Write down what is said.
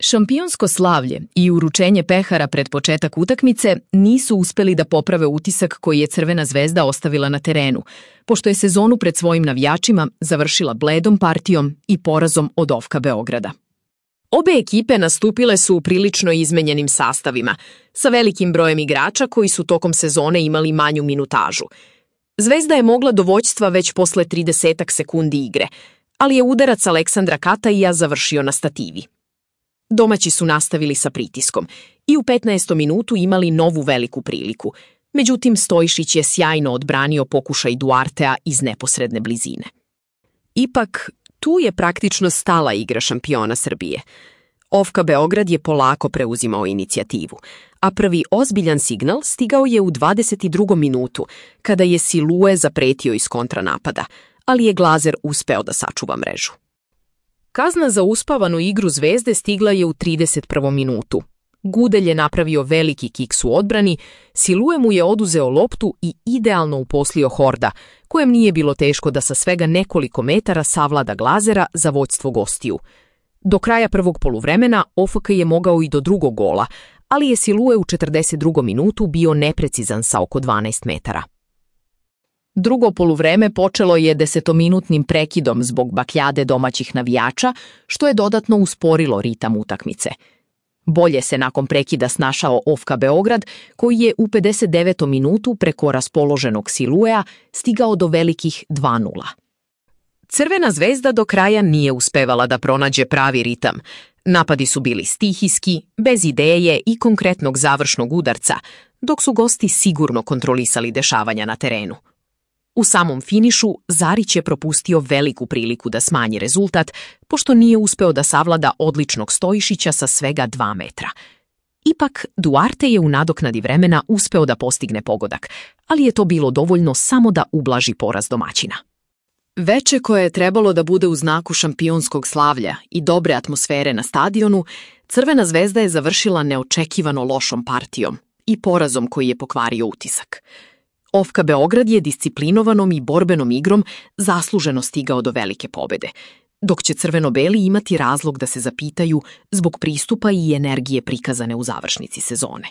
Šampionsko slavlje i uručenje pehara pred početak utakmice nisu uspeli da poprave utisak koji je Crvena zvezda ostavila na terenu, pošto je sezonu pred svojim navijačima završila bledom partijom i porazom od OFK-a Beograda. Obe ekipe nastupile su u prilično izmenjenim sastavima, sa velikim brojem igrača koji su tokom sezone imali manju minutažu. Zvezda je mogla do vođstva već posle 30 sekundi igre, ali je udarac Aleksandra Kataija završio na stativi. Domaći su nastavili sa pritiskom i u 15. minutu imali novu veliku priliku. Međutim, Stojišić je sjajno odbranio pokušaj Duartea iz neposredne blizine. Ipak, tu je praktično stala igra šampiona Srbije. OFK Beograd je polako preuzimao inicijativu, a prvi ozbiljan signal stigao je u 22. minutu, kada je Silue zapretio iz kontranapada, ali je Glazer uspeo da sačuva mrežu. Kazna za uspavanu igru Zvezde stigla je u 31. minutu. Gudelj je napravio veliki kiks u odbrani, Silue mu je oduzeo loptu i idealno uposlio Horda, kojem nije bilo teško da sa svega nekoliko metara savlada Glazera za vođstvo gostiju. Do kraja prvog poluvremena OFK je mogao i do drugog gola, ali je Silue u 42. minutu bio neprecizan sa oko 12 metara. Drugo poluvreme počelo je 10-minutnim prekidom zbog bakljade domaćih navijača, što je dodatno usporilo ritam utakmice. Bolje se nakon prekida snašao OFK Beograd, koji je u 59. minutu preko raspoloženog Siluea stigao do velikih 2:0. Crvena zvezda do kraja nije uspevala da pronađe pravi ritam. Napadi su bili stihijski, bez ideje i konkretnog završnog udarca, dok su gosti sigurno kontrolisali dešavanja na terenu. U samom finišu Zarić je propustio veliku priliku da smanji rezultat, pošto nije uspeo da savlada odličnog Stojišića sa svega 2 metra. Ipak, Duarte je u nadoknadi vremena uspeo da postigne pogodak, ali je to bilo dovoljno samo da ublaži poraz domaćina. Veče koje je trebalo da bude u znaku šampionskog slavlja i dobre atmosfere na stadionu, Crvena zvezda je završila neočekivano lošom partijom i porazom koji je pokvario utisak. OFK Beograd je disciplinovanom i borbenom igrom zasluženo stigao do velike pobede, dok će crveno-beli imati razlog da se zapitaju zbog pristupa i energije prikazane u završnici sezone.